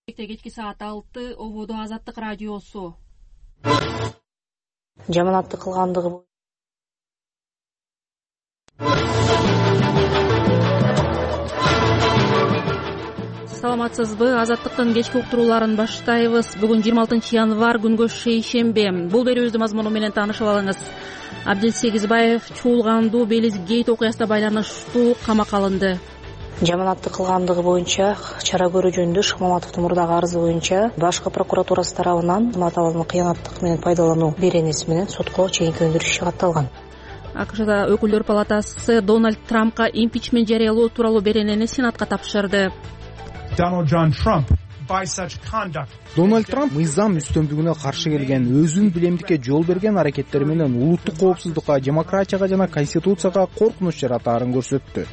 Кечки саат 6 ободо Азаттык радиосу. Жаманатты кылгандыгы Саламатсызбы? Азаттыктын кечки уктурууларын баштайбыз. Бүгүн 26 январь күнгө шейшембе. Бул берүүбүздүн мазмуну менен таанышып алыңыз. Абдил Сегизбаев Чуулганду Белиз Гейт окуясына байланыштуу камакка алынды. жаманатты кылгандыгы боюнча чара көрүү жөнүндө Шыкмаматовдун мурдагы арызы боюнча башкы прокуратурасы тарабынан Маталанын кыянаттык менен пайдалануу беренеси менен сотко чейинки өндүрүш иши катталган. АКШда Өкүлдөр палатасы Дональд Трампка импичмент жарыялоо тууралуу беренени Сенатка тапшырды. Дональд Трамп мыйзам үстөмдүгүнө каршы келген, өзүн билемдикке жол берген аракеттери менен улуттук коопсуздукка, демократияга жана конституцияга коркунуч жаратаарын көрсөттү.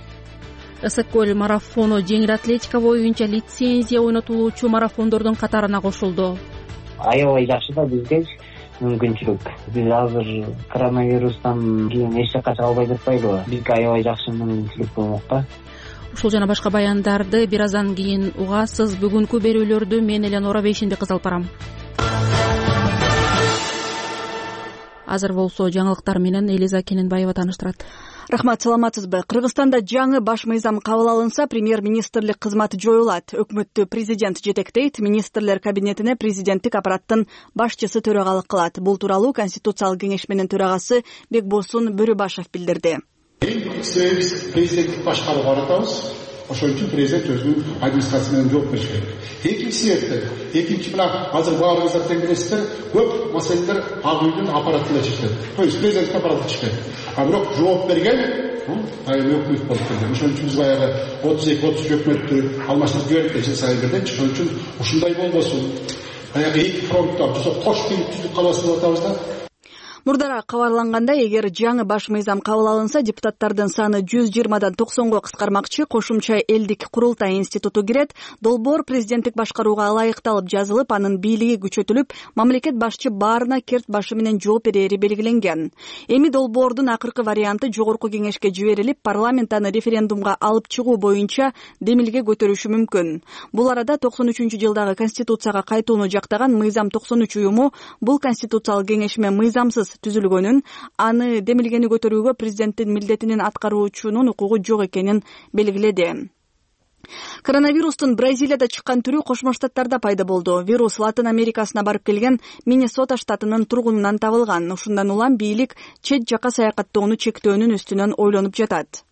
Ысык көл марафону жеңил атлетика боюнча лицензия ойнотулуучу марафондордун катарына кошулду. Аябай жакшы да бизге мүмкүнчүлүк. Биз азыр коронавирустан кийин эч жакка чыга албай жатпайлыбы? Бизге аябай жакшы мүмкүнчүлүк болмок да. Ушул жана башка баяндарды бир аздан кийин угасыз. Бүгүнкү берүүлөрдү мен Эленора Бейшенбек алып барам. Азыр болсо жаңылыктар менен Элиза Кененбаева тааныштырат. Рахмат, саламатсызбы? Кыргызстанда жаңы баш мыйзам кабыл алынса, премьер-министрлик кызматы жоюлат. Өкмөттү президент жетектейт, министрлер кабинетине президенттик аппараттын башчысы төрагалык кылат. Бул тууралуу Конституциялык кеңешменин төрагасы Бекбосун Бөрүбашев билдирди. Биз президенттик башкарууга баратабыз. Ошол үчүн президент өзүнүн администрациясы менен жооп бериши керек. Экинчи мына азыр баарыңыздар тең билесиздер, көп маселелер ак үйдүн аппаратында чечилет. То есть президенттик аппарат чечилет. А бирок жооп берген өкмөт болуп келген. Ошон үчүн биз баягы 32-33 өкмөттү алмаштырып жибердик жыл сайын бирден. Ошон үчүн ушундай болбосун. Баягы эки фронтта кош түздүк каласын деп атабыз да. Мурдараак кабарлангандай, эгер жаңы баш мыйзам кабыл алынса, депутаттардын саны 120дан 90го кыскармакчы, кошумча элдик курултай институту кирет, долбоор президенттик башкарууга ылайыкталып жазылып, анын бийлиги күчөтүлүп, мамлекет башчы баарына керт башы менен жооп берери белгиленген. Эми долбоордун акыркы варианты жогорку кеңешке жиберилип, парламент аны референдумга алып чыгуу боюнча демилге көтөрүшү мүмкүн. Бул арада 93-жылдагы конституцияга кайтууну жактаган Мыйзам 93 уюму бул конституциялык кеңешме мыйзамсыз түзүлгөнүн, аны демилгени көтөрүүгө президенттин милдетинин аткаруучунун укугу жок экенин белгиледи. Коронавирустун Бразилияда чыккан түрү Кошмо Штаттарда пайда болду. Вирус Латын Америкасына барып келген Миннесота штатынын тургунунан табылган. Ушундан улам бийлик чет жакка саякаттоону чектөөнүн үстүнөн ойлонуп жатат.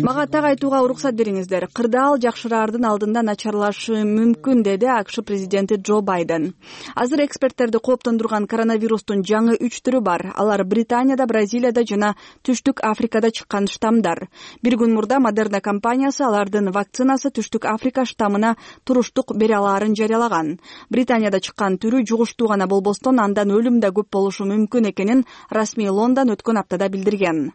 Мага так айтууга уруксат бериңиздер. Кырдаал жакшыраардын алдында начарлашы мүмкүн, деди АКШ президенти Джо Байден. Азыр эксперттерди кооптондурган коронавирустун жаңы 3 түрү бар. Алар Британияда, Бразилияда жана Түштүк Африкада чыккан штамдар. Бир күн мурда Модерна компаниясы алардын вакцинасы Түштүк Африка штамына туруштук бере алаарын жарыялаган. Британияда чыккан түрү жугуштуу гана болбостон, андан өлүм да көп болушу мүмкүн экенин расмий Лондон өткөн аптада билдирген.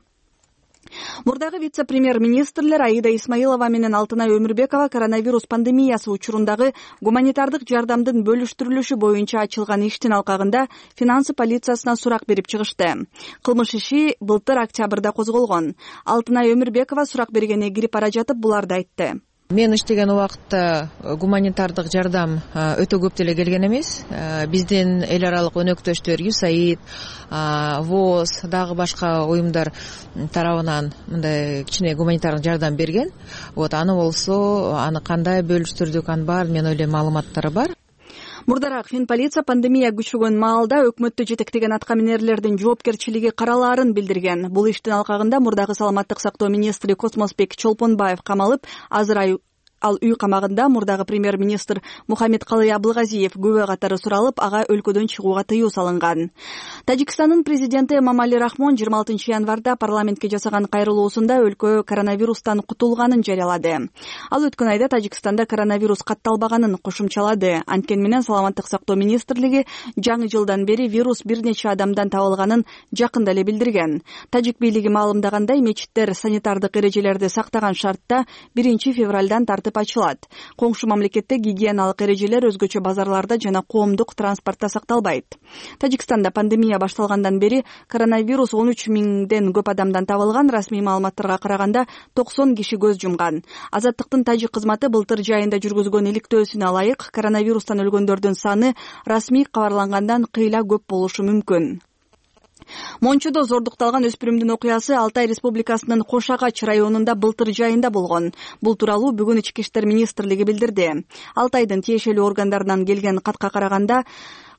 Мурдагы вице-премьер-министрлер Аида Исмаилова менен Алтынай Өмүрбекова коронавирус пандемиясы учурундагы гуманитардык жардамдын бөлүштүрүлүшү боюнча ачылган иштин алкагында финансы полициясына сурак берип чыгышты. Кылмыш иши былтыр октябрда козголгон. Алтынай Өмүрбекова сурак бергене кирип бара жатып буларды айтты. Мен иштеген убакытта гуманитардык жардам өтө көп деле келген эмес. Биздин эл аралык өнөктөштөр USAID, ВОЗ, дагы башка уюмдар тарабынан мындай кичине гуманитардык жардам берген. Аны болсо, аны кандай бөлүштүрдүк, анын баары мен ойлойм маалыматтары бар. Мурдараак Финполиция пандемия күчөгөн маалда өкмөттү жетектеген аткаминерлердин жоопкерчилиги каралаарын билдирген. Бул иштин алкагында мурдагы саламаттык сактоо министри Космосбек Чолпонбаев камалып, азыр ал үй камагында. Мурдагы премьер-министр Мухаммедкалый Абылгазиев күбө катары суралып, ага өлкөдөн чыгууга тыюу салынган. Тажикстандын президенти Эмомали Рахмон 26 январда парламентке жасаган кайрылуусунда өлкө коронавирустан кутулганын жарыялады. Ал өткөн айда Тажикстанда коронавирус катталбаганын кошумчалады. Анткени менен саламаттык сактоо министрлиги жаңы жылдан бери вирус бир нече адамдан табылганын жакында эле билдирген. Тажик бийлиги маалымдагандай, мечиттер санитардык эрежелерди сактаган шартта 1 февралдан тартып мектеп ачылат. Коңшу мамлекетте гигиеналык эрежелер өзгөчө базарларда жана коомдук транспортто сакталбайт. Тажикстанда пандемия башталгандан бери коронавирус 13 миңден көп адамдан табылган. Расмий маалыматтарга караганда 90 киши көз жумган. Азаттыктын тажик кызматы былтыр жайында жүргүзгөн иликтөөсүнө ылайык коронавирустан өлгөндөрдүн саны расмий кабарлангандан кыйла көп болушу мүмкүн. Мончодо зордукталган өспүрүмдүн окуясы Алтай Республикасынын Кош Агач районунда былтыр жайында болгон. Бул тууралуу бүгүн Ички иштер министрлиги билдирди. Алтайдын тиешелүү органдарынан келген катка караганда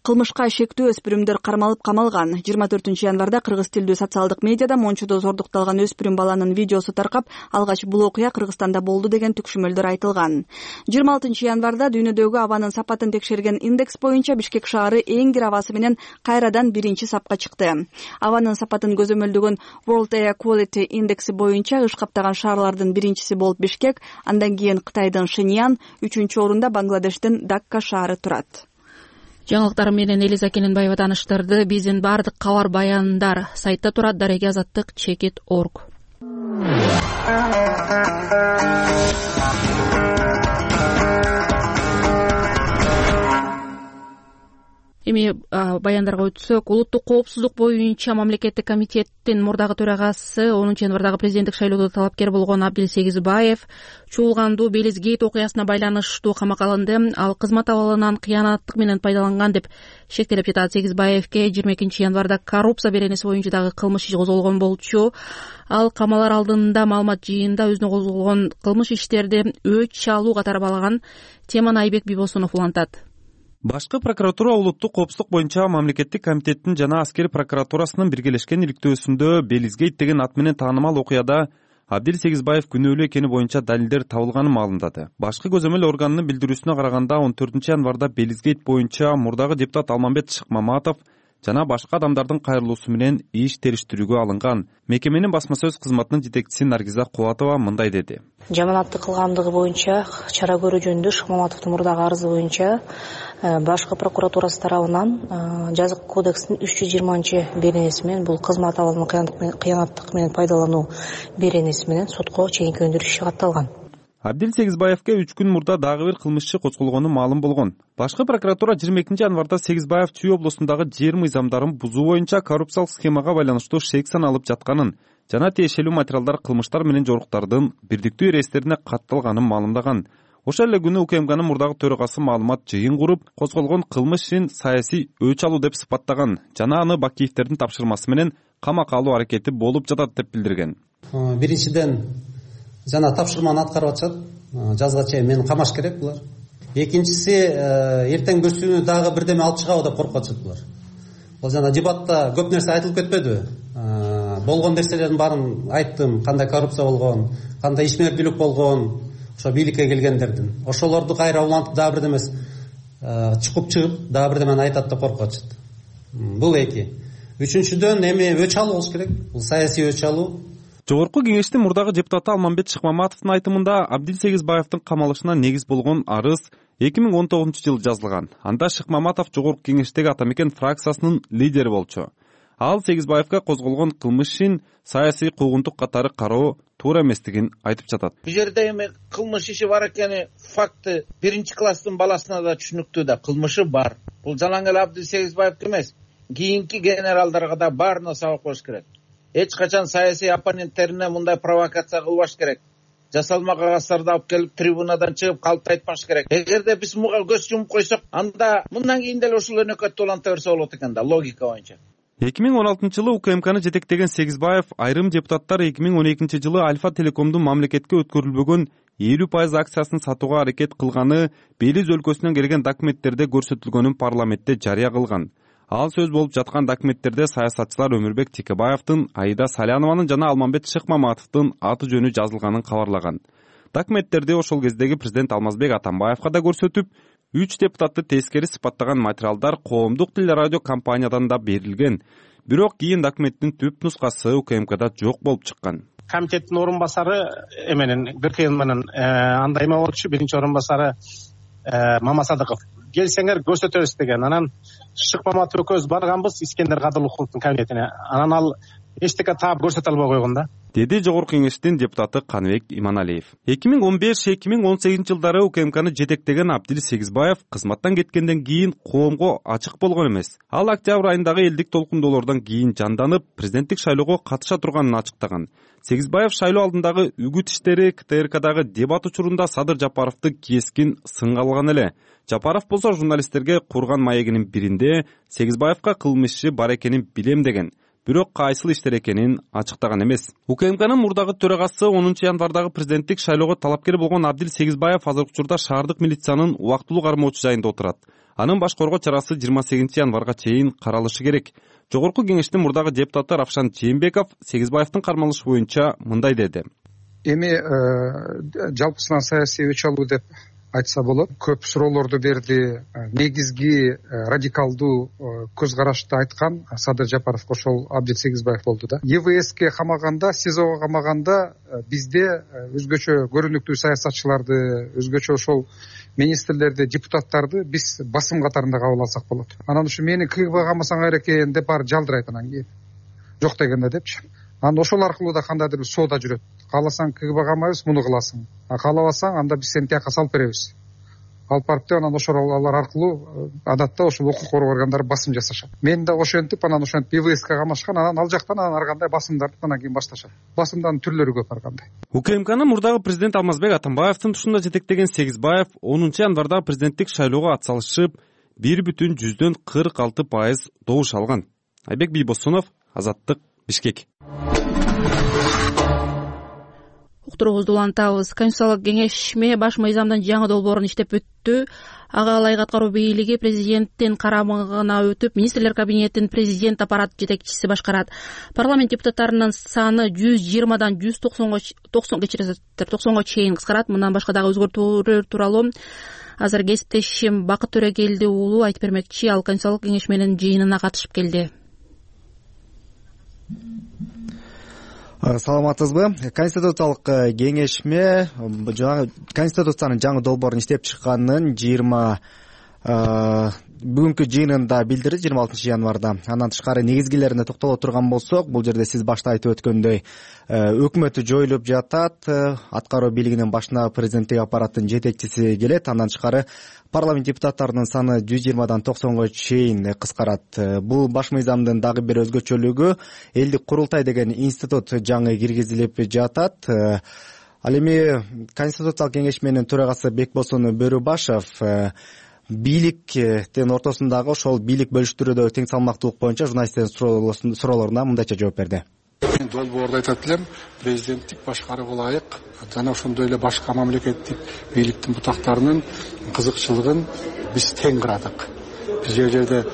кылмышка шектүү өспүрүмдөр кармалып камалган. 24-январда кыргыз тилдүү социалдык медиада Мончодо зордукталган өспүрүм баланын видеосу таркап, алгач бул окуя Кыргызстанда болду деген түкшүмөлдөр айтылган. 26-январда дүйнөдөгү абанын сапатын текшерген индекс боюнча Бишкек шаары эң кир абасы менен кайрадан биринчи сапка чыкты. Абанын сапатын көзөмөлдөгөн World Air Quality индекси боюнча ыш каптаган шаарлардын биринчиси болуп Бишкек, андан кийин Кытайдын Шиньян, 3-орунда Бангладештин Дакка шаары турат. Жаңылыктар менен Элиза Келенбаева тааныштырды. Биздин баардык кабар баяндар сайтта турат. Дареги азаттык /org. Эми баяндарга өтсөк, улуттук коопсуздук боюнча мамлекеттик комитеттин мурдагы төрагасы 10-январдагы президенттик шайлоодо талапкер болгон Абдил Сегизбаев чуулгандуу Белиз Гейт окуясына байланыштуу камакка алынды. Ал кызмат абалынан кыянаттык менен пайдаланган деп шектелип жатат. Сегизбаевке 22-январда коррупция беренеси боюнча дагы кылмыш иши козголгон болчу. Ал камалар алдында маалымат жыйында өзүнө козголгон кылмыш иштерди өч алуу катары балаган. Теманы Айбек Бибосунов улантат. Башкы прокуратура улуттук коопсуздук боюнча мамлекеттик комитеттин жана аскер прокуратурасынын биргелешкен иликтөөсүндө Белиз Гейт деген ат менен таанымал окуяда Абдил Сегизбаев күнөөлүү экени боюнча далилдер табылганын маалымдады. Башкы көзөмөл органынын билдирүүсүнө караганда 14-январда Белиз Гейт боюнча мурдагы депутат Алмамбет Шыкмаматов жана башка адамдардын кайрылуусу менен иш териштирүүгө алынган. Мекеменин басма сөз кызматынын жетекчиси Наргиза Кубатова мындай деди. Жаманаттык кылгандыгы боюнча чара көрүү жөнүндө Шыкмаматовдун мурдагы арызы боюнча башкы прокуратурасы тарабынан жазык кодекстин 320 беренеси менен бул кызмат абалын кыянаттык менен пайдалануу беренеси менен сотко чейинки өндүрүш иши катталган. Абдил Сегизбаевке 3 күн мурда дагы бир кылмыш иши козголгону маалым болгон. Башкы прокуратура 22-январда Сегизбаев Чүй облусундагы жер мыйзамдарын бузуу боюнча коррупциялык схемага байланыштуу шек саналып жатканын жана тиешелүү материалдар кылмыштар менен жоруктардын бирдиктүү реестрине катталганын маалымдаган. Ошол эле күнү УКМКнын мурдагы төрагасы маалымат жыйын куруп, козголгон кылмыш ишин саясий өч алуу деп сыпаттаган жана аны Бакиевдердин тапшырмасы менен камакка алуу аракети болуп жатат деп билдирген. Биринчиден жана тапшырманы аткарып атышат. Жазга чейин мени камаш керек булар. Экинчиси эртең бүрсүнү дагы бирдеме алып чыгабы деп коркуп атышат булар. Бул жана дебатта көп нерсе айтылып кетпедиби? Болгон нерселердин баарын айттым. Кандай коррупция болгон, кандай ишмердүүлүк болгон, ошо бийликке келгендердин. Ошолорду кайра улантып дагы бирдеме чукуп чыгып дагы бирдемени айтат деп коркуп атышат. Бул эки. Үчүнчүдөн эми өч алуу болуш керек. Бул саясий өч алуу. Жогорку кеңештин мурдагы депутаты Алмамбет Шыкмаматовдун айтымында Абдил Сегизбаевдин камалышына негиз болгон арыз 2019-жылы жазылган. Анда Шыкмаматов жогорку кеңештеги Атамекен фракциясынын лидери болчу. Ал Сегизбаевге козголгон кылмыш ишин саясий куугунтук катары кароо туура эместигин айтып жатат. Бул жерде эми кылмыш иши бар экени факты биринчи класстын баласына да түшүнүктүү да, кылмышы бар. Бул жалаң эле Абдил Сегизбаевге эмес, кийинки генералдарга да баарына сабак болуш керек. Эч качан саясий оппоненттерине мындай провокация кылбаш керек. Жасалма кагаздарда алып келип трибунадан чыгып калп айтпаш керек. Эгерде биз муга көз жумуп койсок, анда мындан кийин деле ушул өнөкөттү уланта берсе болот экен да, логика боюнча. 2016-жылы УКМКны жетектеген Сегизбаев айрым депутаттар 2012-жылы Альфа Телекомдун мамлекетке өткөрүлбөгөн 50% акциясын сатууга аракет кылганы Белиз өлкөсүнөн келген документтерде көрсөтүлгөнүн парламентте жарыя кылган. Ал сөз болуп жаткан документтерде саясатчылар Өмүрбек Текебаевдин, Аида Салянованын жана Алмамбет Шыкмаматовдун аты жөнү жазылганын кабарлаган. Документтерди ошол кездеги президент Алмазбек Атамбаевга да көрсөтүп, 3 депутатты тескери сыпаттаган материалдар коомдук телерадио компаниядан да берилген. Бирок кийин документтин түп нускасы УКМКда жок болуп чыккан. Комитеттин орун басары эменен Гыркыйын менен андай эме болчу, биринчи орун басары Мамасадыков. Келсеңер көрсөтөбүз деген. Анан Шыкмаматов экөөбүз барганбыз Искендер Кадырлыковдун кабинетине. Анан ал эчтеке таап көрсөтө албай койгон да, деди Жогорку Кеңештин депутаты Каныбек Иманалиев. 2015-2018 жылдары УКМКны жетектеген Абдил Сегизбаев кызматтан кеткенден кийин коомго ачык болгон эмес. Ал октябрь айындагы элдик толкундоолордон кийин жанданып, президенттик шайлоого катыша турганын ачыктаган. Сегизбаев шайлоо алдындагы үгүт иштери КТРКдагы дебат учурунда Садыр Жапаровду кескин сынга алган эле. Жапаров болсо журналисттерге курган маегинин биринде Сегизбаевка кылмыш иши бар экенин билем деген. Бирок кайсыл иштер экенин ачыктаган эмес. УКМКнын мурдагы төрагасы 10 январдагы президенттик шайлоого талапкер болгон Абдил Сегизбаев азыркы учурда шаардык милициянын убактылуу кармоочу жайында отурат. Анын баш коргоо чарасы 28 январга чейин каралышы керек. Жогорку Кеңештин мурдагы депутаты Равшан Жээнбеков Сегизбаевдин кармалышы боюнча мындай деди. Эми жалпысынан саясий өч алуу деп айтса болот. Көп суроолорду берди. Негизги радикалдуу көз карашты айткан Садыр Жапаров ошол Абдил Сегизбаев болду да. ЕВСке камаганда, СИЗОго камаганда бизде өзгөчө көрүнүктүү саясатчыларды, өзгөчө ошол министрлерди, депутаттарды биз басым катарында кабыл алсак болот. Анан ушу мени КГБ камасаңар экен деп баары жалдырайт анан кийин. Жок дегенде депчи. Анан ошол аркылуу да кандайдыр бир соода жүрөт. Кааласаң КГБ камайбыз, муну кыласың. Каалабасаң анда биз сени тияка салып беребиз. Алып барып деп анан ошол алар аркылуу адатта ошол укук коргоо органдары басым жасашат. Мен да ошентип анан ошентип ИВСке камашкан, анан ал жактан анан ар кандай басымдарды анан кийин башташат. Басымдардын түрлөрү көп ар кандай. УКМКнын мурдагы президент Алмазбек Атамбаевдин тушунда жетектеген Сегизбаев 10 январда президенттик шайлоого атсалышып 1,46% добуш алган. Айбек Бийбосунов, Азаттык, Бишкек. Уктуруубузду улантабыз. Конституциялык кеңешме баш мыйзамдын жаңы долбоорун иштеп бүттү. Ага ылайык аткаруу бийлиги президенттин карамагына өтүп, министрлер кабинетин президент аппарат жетекчиси башкарат. Парламент депутаттарынын саны 120дан 190га чейин кыскарат. Мындан башка дагы өзгөртүүлөр тууралуу азыр кесиптешим Бакыт Төрөгелди уулу айтып бермекчи. Ал Конституциялык кеңешменин жыйынына катышып келди. Саламатсызбы? Конституциялык кеңешме Конституциянын жаңы долбоорун иштеп чыкканын бүгүнкү жыйынында билдирди 26 январда. Андан тышкары негизгилерине токтоло турган болсок, бул жерде сиз башта айтып өткөндөй өкмөтү жоюлуп жатат, аткаруу бийлигинин башына президенттик аппараттын жетекчиси келет. Андан тышкары парламент депутаттарынын саны 120дан 90га чейин кыскарат. Бул баш мыйзамдын дагы бир өзгөчөлүгү элдик курултай деген институт жаңы киргизилип жатат. Ал эми Конституциялык кеңешменин төрагасы Бекбосун Бөрүбашев бийликтин ортосундагы ошол бийлик бөлүштүрүүдөгү тең салмактуулук боюнча журналисттердин суроолоруна мындайча жооп берди. Мен долбоордо айтат элем, президенттик башкарууга ылайык жана ошондой эле башка мамлекеттик бийликтин бутактарынын кызыкчылыгын биз тең кырадык. Биз жерде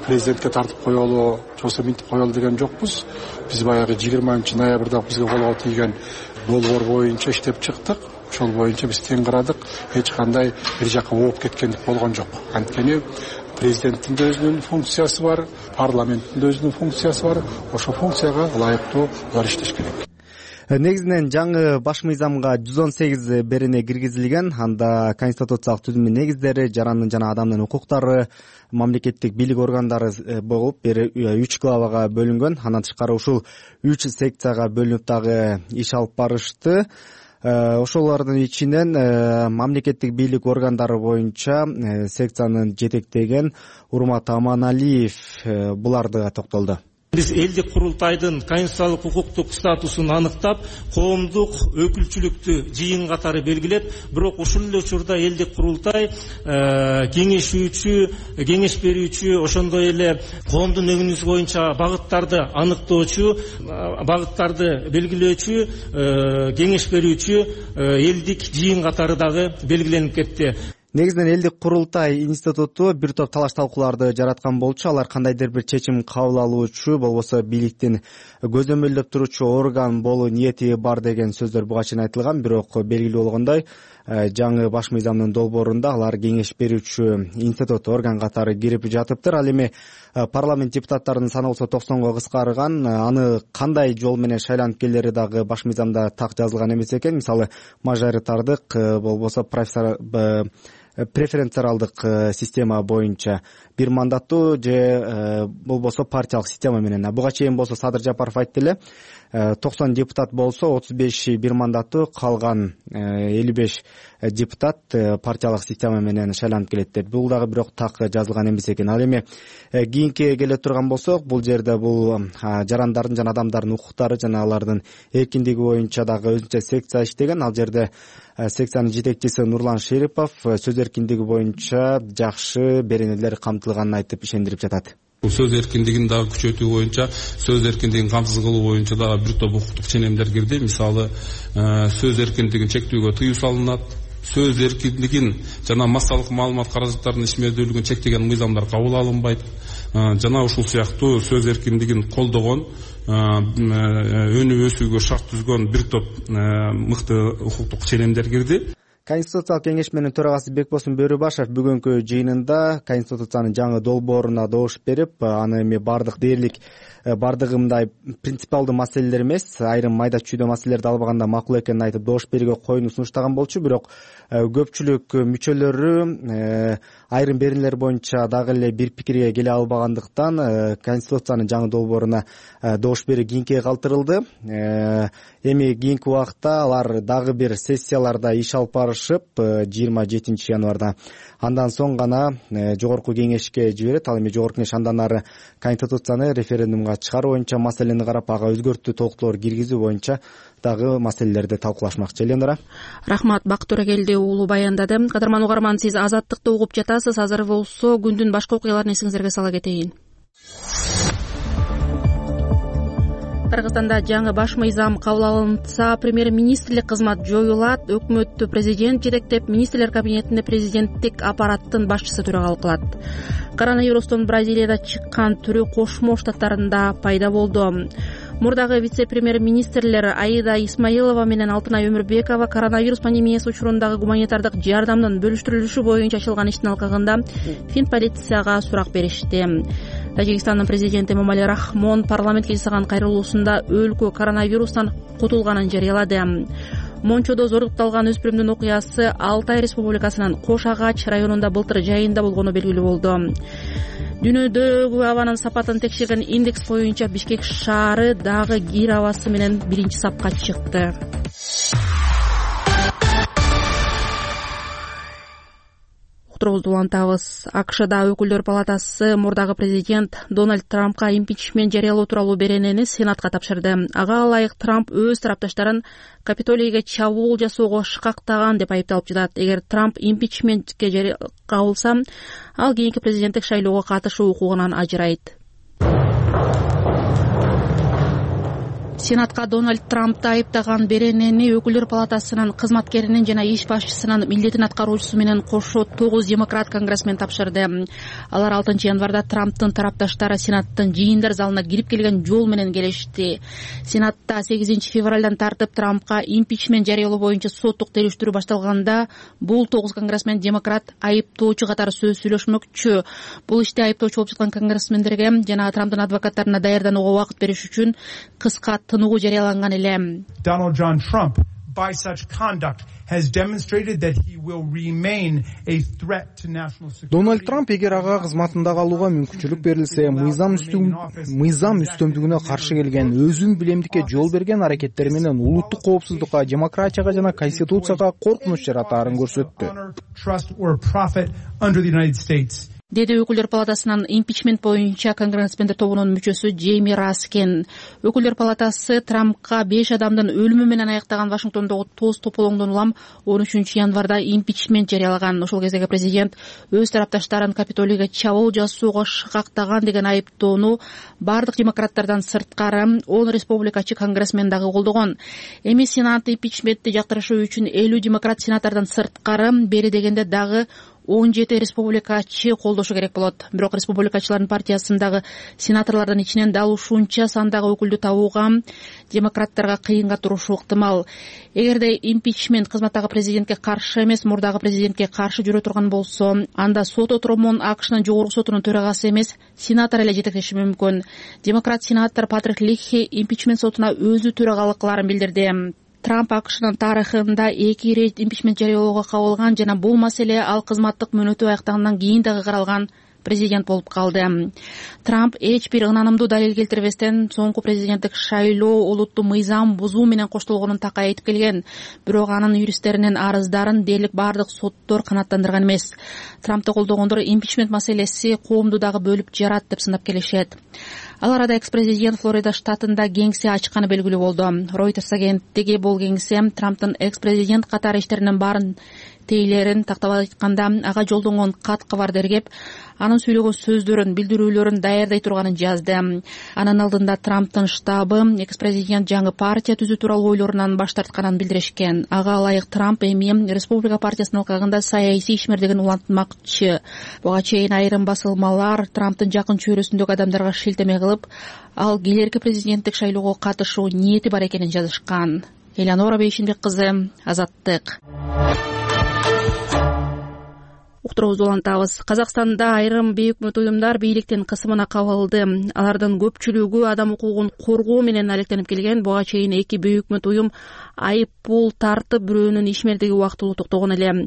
президентке тартып коелу, жоксо минтип коелу деген жокпуз. Биз баягы 20 ноябрда бизге колго тийген долбоор боюнча иштеп чыктык. Ошол боюнча биз тең кырадык. Эч кандай бир жака ооп кеткендик болгон жок. Анткени президенттин да өзүнүн функциясы бар, парламенттин да өзүнүн функциясы бар. Ошол функцияга ылайыктуу алар иштеш керек. Негизинен жаңы баш мыйзамга 118 берене киргизилген. Анда конституциялык түзүмдүн негиздери, жарандын жана адамдын укуктары, мамлекеттик бийлик органдары болуп, 3 главага бөлүнгөн. Андан тышкары ушул 3 секцияга бөлүнүп дагы иш алып барышты. Ошолордун ичинен мамлекеттик бийлик органдары боюнча секциянын жетектеген Урмат Аманалиев буларды токтолду. Биз элдик курултайдын конституциялык укуктук статусун аныктап, коомдук өкүлчүлүктү жыйын катары белгилеп, бирок ушул эле учурда элдик курултай кеңеш берүүчү, ошондой эле коомдун өңүнүсү боюнча багыттарды аныктоочу, багыттарды белгилөөчү, кеңеш берүүчү элдик жыйын катары дагы белгиленип кетти. Негизинен элдик курултай институту бир топ талаш талкууларды жараткан болчу. Алар кандайдыр бир чечим кабыл алуучу, болбосо бийликтин көзөмөлдөп туручу орган болуу ниети бар деген сөздөр буга чейин айтылган. Бирок белгилүү болгондой, жаңы баш мыйзамдын долбоорунда алар кеңеш берүүчү институт орган катары кирип жатыптыр. Ал эми парламент депутаттарынын саны болсо 90га кыскарган. Аны кандай жол менен шайланып келери дагы баш мыйзамда так жазылган эмес экен. Мисалы, мажоритардык болбосо профессор преференциялдык система боюнча бир мандаттуу же болбосо партиялык система менен. Буга чейин болсо Садыр Жапаров айтты эле 90 депутат болсо 35 бир мандаттуу, калган 55 депутат партиялык система менен шайланып келет деп. Бул дагы бирок так жазылган эмес экен. Ал эми кийинки келе турган болсок, бул жерде бул жарандардын жана адамдардын укуктары жана алардын эркиндиги боюнча дагы өзүнчө секция иштеген. Ал жерде секциянын жетекчиси Нурлан Шерипов сөз эркиндиги боюнча жакшы беренелер камтылганын айтып ишендирип жатат. Сөз эркиндигин дагы күчөтүү боюнча, сөз эркиндигин камсыз кылуу боюнча дагы бир топ укуктук ченемдер кирди. Мисалы, сөз эркиндигин чектөөгө тыюу салынат, сөз эркиндигин жана массалык маалымат каражаттарынын ишмердүүлүгүн чектеген мыйзамдар кабыл алынбайт. Жана ушул сыяктуу сөз эркиндигин колдогон, өнүп өсүүгө шарт түзгөн бир топ мыкты укуктук ченемдер кирди. Конституциялык кеңешменин төрагасы Бекбосун Бөрүбашев бүгүнкү жыйынында Конституциянын жаңы долбооруна добуш берип, аны эми бардык дээрлик бардыгы мындай принципиалдуу маселелер эмес, айрым майда чүйдө маселелерди албаганда макул экенин айтып добуш берүүгө коюуну сунуштаган болчу. Бирок көпчүлүк мүчөлөрү айрым беренелер боюнча дагы эле бир пикирге келе албагандыктан Конституциянын жаңы долбооруна добуш берүү кийинкиге калтырылды. Эми кийинки убакта алар дагы бир сессияларда иш алып барышып 27 январда андан соң гана жогорку кеңешке жиберет. Ал эми жогорку кеңеш андан ары Конституцияны референдумга чыгаруу боюнча маселени карап, ага өзгөртүү толуктоолор киргизүү боюнча дагы маселелерди талкуулашмакчы. Элендара. Рахмат, Бактур Эгелди уулу баяндады. Кадырман угарман, сиз Азаттыкты угуп жатасыз. Азыр болсо күндүн башка окуяларын эсиңиздерге сала кетейин. Кыргызстанда жаңы баш мыйзам кабыл алынса, премьер-министрлик кызмат жоюлат. Өкмөттү президент жетектеп, министрлер кабинетинде президенттик аппараттын башчысы төрагалык кылат. Коронавирустун Бразилияда чыккан түрү Кошмо Штаттарында пайда болду. Мурдагы вице-премьер-министрлер Аида Исмаилова менен Алтынай Өмүрбекова коронавирус пандемиясы учурундагы гуманитардык жардамдын бөлүштүрүлүшү боюнча ачылган иштин алкагында Фин полицияга сурак беришти. Тажикстандын президенти Эмомали Рахмон парламентке жасаган кайрылуусунда өлкө коронавирустан кутулганын жарыялады. Мончодо зордукталган өспүрүмдүн окуясы Алтай Республикасынын Кош Агач районунда былтыр жайында болгону белгилүү болду. Дүйнөдөгү абанын сапатын текшерген индекс боюнча Бишкек шаары дагы кир абасы менен биринчи сапка чыкты. Уктуруубузду улантабыз. АКШда өкүлдөр палатасы мурдагы президент Дональд Трампка импичмент жарыялоо тууралуу беренени Сенатка тапшырды. Ага ылайык Трамп өз тарапташтарын Капитолийге чабуул жасоого шыкактаган деп айыпталып жатат. Эгер Трамп импичментке кабылса, ал кийинки президенттик шайлоого катышуу укугунан ажырайт. Сенатка Дональд Трампты айыптаган беренени өкүлдөр палатасынын кызматкеринин жана иш башчысынын милдетин аткаруучусу менен кошо 9 демократ конгрессмен тапшырды. Алар 6 январда Трамптын тарапташтары Сенаттын жыйындар залына кирип келген жол менен келишти. Сенатта 8 февралдан тартып Трампка импичмент жарыялоо боюнча соттук териштирүү башталганда бул 9 конгрессмен демократ айыптоочу катары сөз сүйлөшмөкчү. Бул иште айыптоочу болуп жаткан конгрессмендерге жана Трамптын адвокаттарына даярданууга убакыт бериш үчүн кыска тынугу жарыяланган эле. Donald John Trump, by such conduct, has demonstrated that he will remain a threat to national security. Дональд Трамп эгер ага кызматында калууга мүмкүнчүлүк берилсе, мыйзам үстөмдүгүнө каршы келген, өзүн билемдикке жол берген аракеттери менен улуттук коопсуздукка, демократияга жана конституцияга коркунуч жаратаарын көрсөттү. Деди өкүлдөр палатасынын импичмент боюнча конгрессмендер тобунун мүчөсү Джейми Раскен. Өкүлдөр палатасы Трампка 5 адамдын өлүмү менен аяктаган Вашингтондогу тоз тополоңдон улам 13 январда импичмент жарыялаган. Ошол кездеги президент өз тарапташтарын Капитолийге чабуул жасоого шыкактаган деген айыптоону бардык демократтардан сырткары 10 республикачы конгрессмен дагы колдогон. Эми Сенат импичментти жактырышуу үчүн 50 демократ сенатордон сырткары бери дегенде дагы 17 республикачы колдошу керек болот. Бирок республикачылардын партиясындагы сенаторлордун ичинен дал ушунча сандагы өкүлдү табууга демократтарга кыйынга турушу ыктымал. Эгерде импичмент кызматтагы президентке каршы эмес, мурдагы президентке каршы жүрө турган болсо, анда сот отуромун АКШнын жогорку сотунун төрагасы эмес, сенатор эле жетектеши мүмкүн. Демократ сенатор Патрик Лихи импичмент сотуна өзү төрагалык кыларын билдирди. Трамп АКШнын тарыхында 2 ирет импичмент жарыялоого кабылган жана бул маселе ал кызматтык мөөнөтү аяктагандан кийин дагы каралган президент болуп калды. Трамп эч бир ынанымдуу далил келтирбестен соңку президенттик шайлоо улуттуу мыйзам бузуу менен коштолгонун такай айтып келген. Бирок анын юристтеринин арыздарын дээрлик бардык соттор канааттандырган эмес. Трампты колдогондор импичмент маселеси коомду дагы бөлүп жарат деп сынап келишет. Ал арада экс-президент Флорида штатында кеңсе ачканы белгилүү болду. Reuters агенттиги бул кеңсе Трамптын экс-президент катары иштеринин баарын тейлерин тактап айтканда ага жолдонгон кат кабарды эргеп, анын сүйлөгөн сөздөрүн, билдирүүлөрүн даярдай турганын жазды. Анын алдында Трамптын штабы экс-президент жаңы партия түзүү тууралуу ойлорунан баш тартканын билдиришкен. Ага ылайык Трамп эми Республика партиясынын алкагында саясий ишмердигин улантмакчы. Буга чейин айрым басылмалар Трамптын жакын чөйрөсүндөгү адамдарга шилтеме кылып, ал келерки президенттик шайлоого катышуу ниети бар экенин жазышкан. Элеонора Бейшинбек кызы, Азаттык. Уктуруубузду улантабыз. Казакстанда айрым бейөкмөт уюмдар бийликтин кысымына кабылды. Алардын көпчүлүгү адам укугун коргоо менен алектенип келген. Буга чейин 2 бейөкмөт уюм айып пул тартып, бирөөнүн ишмердиги убактылуу токтогон эле.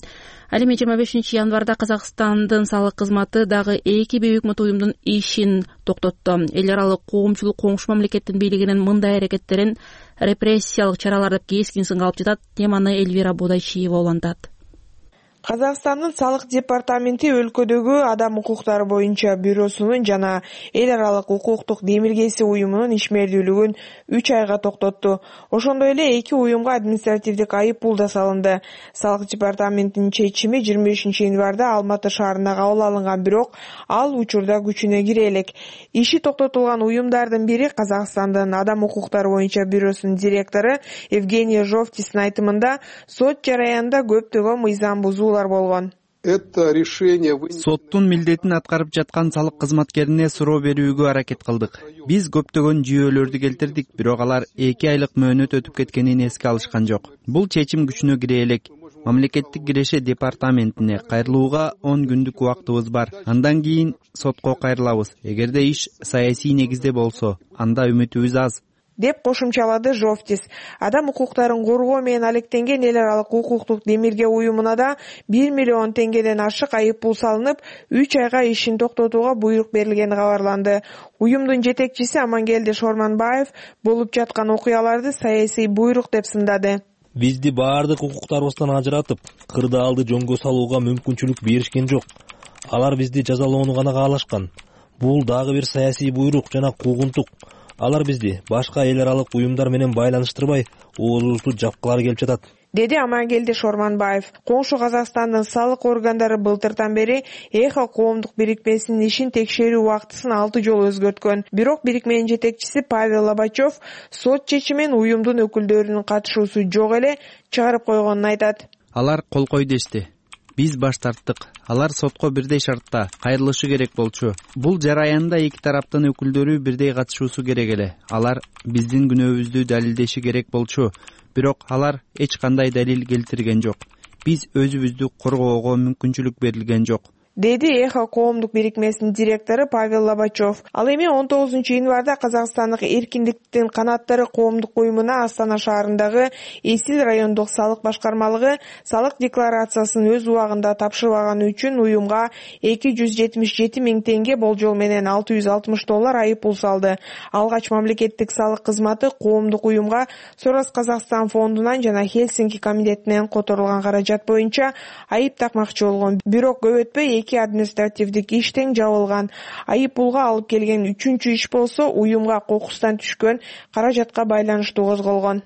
Ал эми 25 январда Казакстандын салык кызматы дагы 2 бейөкмөт уюмдун ишин токтотту. Эл аралык коомчулук коңшу мамлекеттин бийлигинин мындай аракеттерин репрессиялык чаралар деп кескин сынга алып жатат. Теманы Эльвира Бодайчиева улантат. Казакстандын салык департаменти өлкөдөгү адам укуктары боюнча бюросунун жана эл аралык укуктук демилгеси уюмунун ишмердүүлүгүн 3 айга токтотту. Ошондой эле 2 уюмга административдик айып пул да салынды. Салык департаментинин чечими 25 январда Алматы шаарында кабыл алынган, бирок ал учурда күчүнө кире элек. Иши токтотулган уюмдардын бири Казакстандын адам укуктары боюнча бюросунун директору Евгения Жовтистин айтымында сот жараянында көптөгөн мыйзам бузуу болгон. Соттун милдетин аткарып жаткан салык кызматкерине суроо берүүгө аракет кылдык. Биз көптөгөн жүйөлөрдү келтирдик, бирок алар 2 айлык мөөнөт өтүп кеткенин эске алышкан жок. Бул чечим күчүнө кире элек. Мамлекеттик киреше департаментине кайрылууга 10 күндүк убактыбыз бар. Андан кийин сотко кайрылабыз. Эгерде иш саясий негизде болсо, анда үмүтүбүз аз, деп кошумчалады Жовтис. Адам укуктарын коргоо менен алектенген эл аралык укуктук демилге уюмуна да 1 миллион теңгеден ашык айып пул салынып, 3 айга ишин токтотууга буйрук берилгени кабарланды. Уюмдун жетекчиси Амангелди Шорманбаев болуп жаткан окуяларды саясий буйрук деп сындады. Бизди баардык укуктарыбыздан ажыратып, кырдаалды жөнгө салууга мүмкүнчүлүк беришкен жок. Алар бизди жазалоону гана каалашкан. Бул дагы бир саясий буйрук жана куугунтук. Алар бизди башка эл аралык уюмдар менен байланыштырбай, оозубузду жапкылары келип жатат, деди Амангелди Шорманбаев. Коңшу Казакстандын салык органдары былтыртан бери Эхо коомдук бирикмесинин ишин текшерүү убактысын 6 жолу өзгөрткөн. Бирок бирикменин жетекчиси Павел Лобачев сот чечимин уюмдун өкүлдөрүнүн катышуусу жок эле чыгарып койгонун айтат. Алар кол кой дешти. Биз баш тарттык. Алар сотко бирдей шартта кайрылышы керек болчу. Бул жараянда 2 тараптын өкүлдөрү бирдей катышуусу керек эле. Алар биздин күнөөбүздү далилдеши керек болчу. Бирок алар эч кандай далил келтирген жок. Биз өзүбүздү коргоого мүмкүнчүлүк берилген жок, деди Эхо коомдук бирикмесинин директору Павел Лобачев. Ал эми 19 январда Казакстандык эркиндиктин канаттары коомдук уюмуна Астана шаарындагы Эсил райондук салык башкармалыгы салык декларациясын өз убагында тапшырбаганы үчүн уюмга 277 миң теңге, болжол менен $660 айып пул салды. Алгач мамлекеттик салык кызматы коомдук уюмга Сорос Казакстан фондунан жана Хельсинки комитетинен которулган каражат боюнча айып такмакчы болгон. Бирок көп өтпөй административдик иш тең жабылган. Айып пулга алып келген 3-чү иш болсо уюмга кокустан түшкөн каражатка байланыштуу козголгон.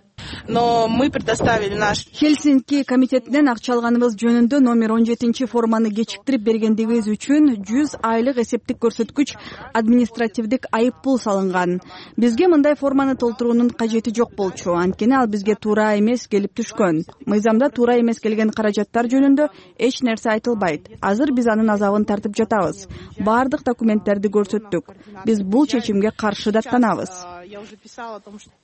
Но мы предоставили наш Хельсинки комитетинен акча алганыбыз жөнүндө номер 17 форманы кечиктирип бергендигибиз үчүн 100 айлык эсептик көрсөткүч административдик айып пул салынган. Бизге мындай форманы толтуруунун кажети жок болчу, анткени ал бизге туура эмес келип түшкөн. Мыйзамда туура эмес келген каражаттар жөнүндө эч нерсе айтылбайт. Азыр биз анын азабын тартып жатабыз. Бардык документтерди көрсөттүк. Биз бул чечимге каршы даттанабыз.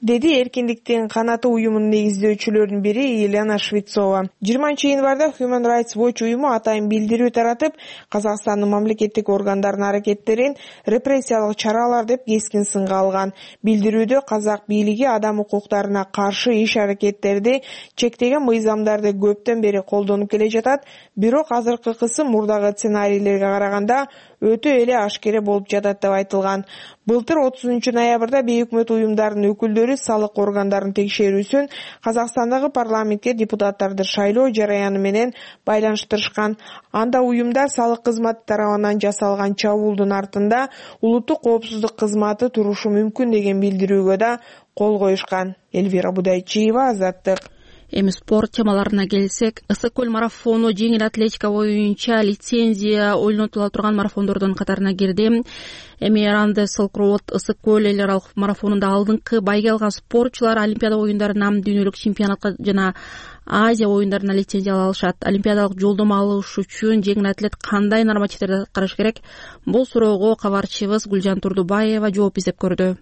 деди эркиндиктин канаты уюмунун негиздөөчүлөрүнүн бири Елена Швецова. 20-январда Human Rights Watch уюму атайын билдирүү таратып, Казакстандын мамлекеттик органдарынын аракеттерин репрессиялык чаралар деп кескин сынга алган. Билдирүүдө казак бийлиги адам укуктарына каршы иш-аракеттерди чектеген мыйзамдарды көптөн бери колдонуп келе жатат, бирок азыркы кысым мурдагы сценарийлерге караганда өтө эле ашкере болуп жатат деп айтылган. Былтыр 30-ноябрда бейөкмөт уюмдарынын өкүлдөрү салык органдарынын текшерүүсүн Казакстандагы парламентке депутаттарды шайлоо жараяны менен байланыштырышкан. Анда уюмдар салык кызматы тарабынан жасалган чабуулдун артында улуттук коопсуздук кызматы турушу мүмкүн деген билдирүүгө да кол коюшкан. Элвира Будайчиева, Азаттык. Эми спорт темаларына келсек, ысык көл марафону жеңил атлетика боюнча лицензия ойлонтула турган марафондордун катарына кирди. Эми Ранде Silk Road ысык көл эл аралык марафонунда алдыңкы байге алган спортчулар Олимпиада оюндарына, дүйнөлүк чемпионатка жана Азия оюндарына лицензия ала алышат. Олимпиадалык жолдомо алыш үчүн жеңил атлет кандай нормативдерди аткарыш керек? Бул суроого кабарчыбыз Гүлжан Турдубаева жооп издеп көрдү.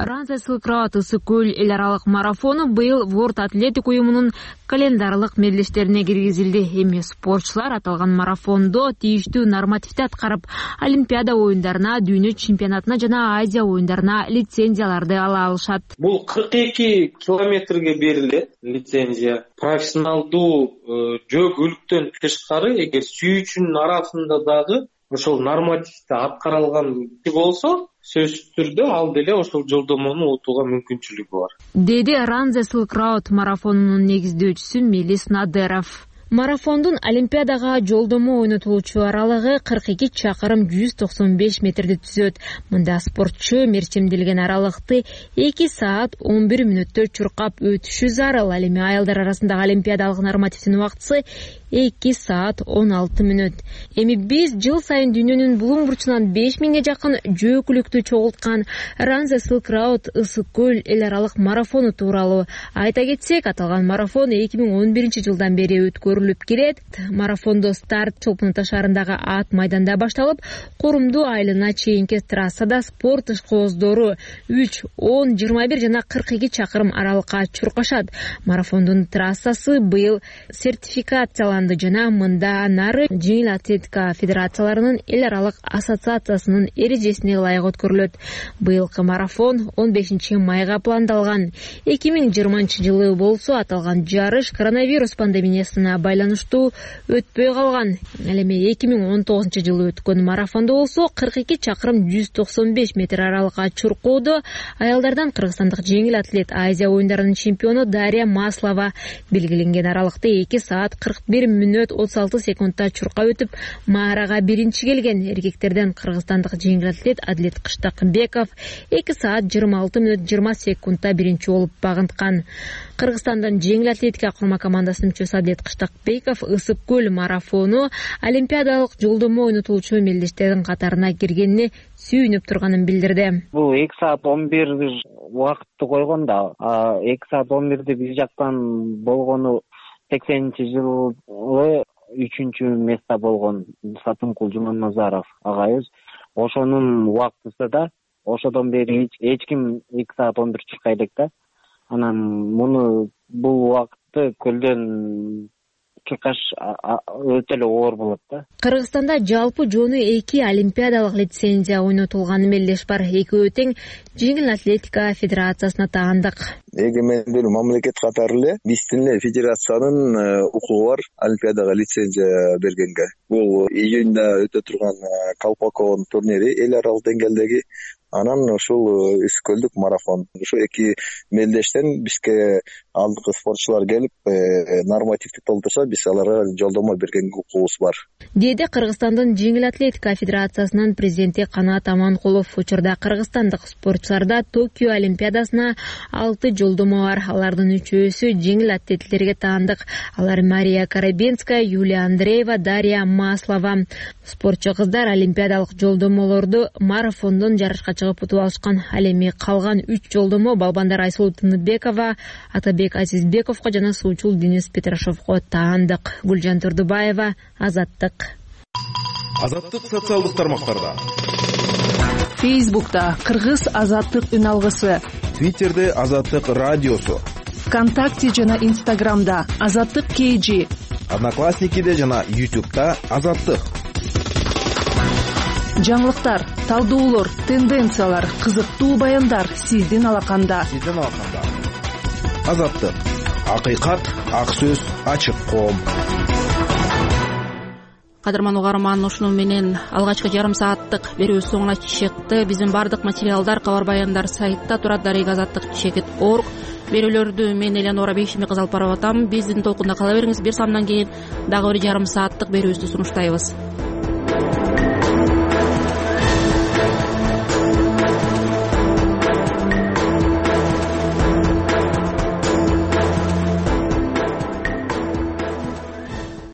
Ранде Silk Road ысык көл эл аралык марафону быйыл World Athletic уюмунун календарлык мелдештерине киргизилди. Эми спортчулар аталган марафондо тийиштүү нормативди аткарып, Олимпиада оюндарына, дүйнө чемпионатына жана Азия оюндарына лицензияларды ала алышат. Бул 42 километрге берилет лицензия. Профессионалдуу жөө-көлүктөн тышкары эгер сүйүүчүнүн арасында дагы ошол нормативди аткарылган болсо, сөзсүз түрдө ал деле ошол жолдомону утууга мүмкүнчүлүгү бар, деди Ранде Silk Road марафонунун негиздөөчүсү Мелис Надыров. Марафондун Олимпиадага жолдомо ойнотулуучу аралыгы 42 чакырым 195 метрди түзөт. Мында спортчу мерчемделген аралыкты 2 саат 11 мүнөттө чуркап өтүшү зарыл. Ал эми аялдар арасындагы олимпиадалык нормативдин убактысы 2 саат 16 мүнөт. Эми биз жыл сайын дүйнөнүн булуң бурчунан 5000ге жакын жөө-көлүктү чогулткан Ранде Silk Road ысык көл эл аралык марафону тууралуу айта кетсек, аталган марафон 2011 жылдан бери өткөрүлүп келет. Марафондо старт Чолпонута шаарындагы ат майданда башталып, Корумду айылына чейинки трассада спорт ишкооздору 3, 10, 21 жана 42 чакырым аралыкка чуркашат. Марафондун трассасы быйыл сертификацияланды жана мында нары жеңил атлетика федерацияларынын эл аралык ассоциациясынын эрежесине ылайык өткөрүлөт. Быйылкы марафон 15 майга пландалган. 2020 жылы болсо аталган жарыш коронавирус пандемиясына байланыштуу өтпөй калган. Ал эми 2019 жылы өткөн марафондо болсо 42 чакырым 195 метр аралыкка чуркоодо аялдардан кыргызстандык жеңил атлет Азия оюндарынын чемпиону Дарья Маслова белгиленген аралыкты 2 саат 41 мүнөт 36 секундта чуркап өтүп, маарага биринчи келген. Эркектерден кыргызстандык жеңил атлет Адлет Кыштакбеков 2 саат 26 мүнөт 20 секундта биринчи болуп багынткан. Кыргызстандын жеңил атлетика курма командасынын мүчөсү Адлет Кыштакбеков ысык көл марафону олимпиадалык жолдомо ойнотулуучу мелдештердин катарына киргенине сүйүнүп турганын билдирди. Бул 2 саат 11 убакытты койгон да, 2 саат 11 биз жактан болгону 80-жылы 3-чү место болгон Сатымкул Жуманазаров агайыбыз. Ошонун убактысы да, ошодон бери эч ким 2 саат 11 чуркай элек да. Анан муну бул убакытты көлдөн чуркаш өтө эле оор болот да. Кыргызстанда жалпы жону 2 олимпиадалык лицензия ойнотулган мелдеш бар. Экөө тең жеңил атлетика федерациясына таандык. Эгемендүү мамлекет катары эле биздин эле федерациянын укугу бар олимпиадага лицензия бергенге. Бул июнда өтө турган Колпаков турнири эл аралык деңгээлдеги. Анан ушул ысык көлдүк марафон. Ушу 2 мелдештен бизге алдыңкы спортчулар келип, нормативди толтурса, биз аларга жолдомо берген укугубуз бар, деди Кыргызстандын жеңил атлетика федерациясынын президенти Канат Аманкулов. Учурда кыргызстандык спортчуларда Токио олимпиадасына 6 жолдомо бар. Алардын 3-өсү жеңил атлеттерге таандык. Алар Мария Карабенская, Юлия Андреева, Дарья Маслова. Спортчу кыздар олимпиадалык жолдомолорду марафондон жарышка чыгып утуп алышкан. Ал эми калган 3 жолдомо балбандар Айсулуу Тыныбекова, Атабек Азизбековго жана суучул Денис Петрашовго таандык. Гүлжан Турдубаева, Азаттык. Азаттык социалдык тармактарда. Фейсбукта Кыргыз азаттык үн алгысы, Твиттерде Азаттык радиосу, ВКонтакте жана Инстаграмда Азаттык KG, Одноклассникиде жана YouTube'да Азаттык. Жаңылыктар, талдоолор, тенденциялар, кызыктуу баяндар сиздин алаканда. Азаттык. Акыйкат, ак сөз, ачык коом. Кадырман угарман, ушуну менен алгачкы жарым сааттык берүүбүз соңуна чыкты. Биздин бардык материалдар, кабар баяндар сайтта турат. Darigazаттык.org. Берүүлөрдү мен Элеонора Бейшими кызы алып барып атам. Биздин толкунда кала бериңиз. Бир самдан кийин дагы бир жарым сааттык берүүбүздү сунуштайбыз.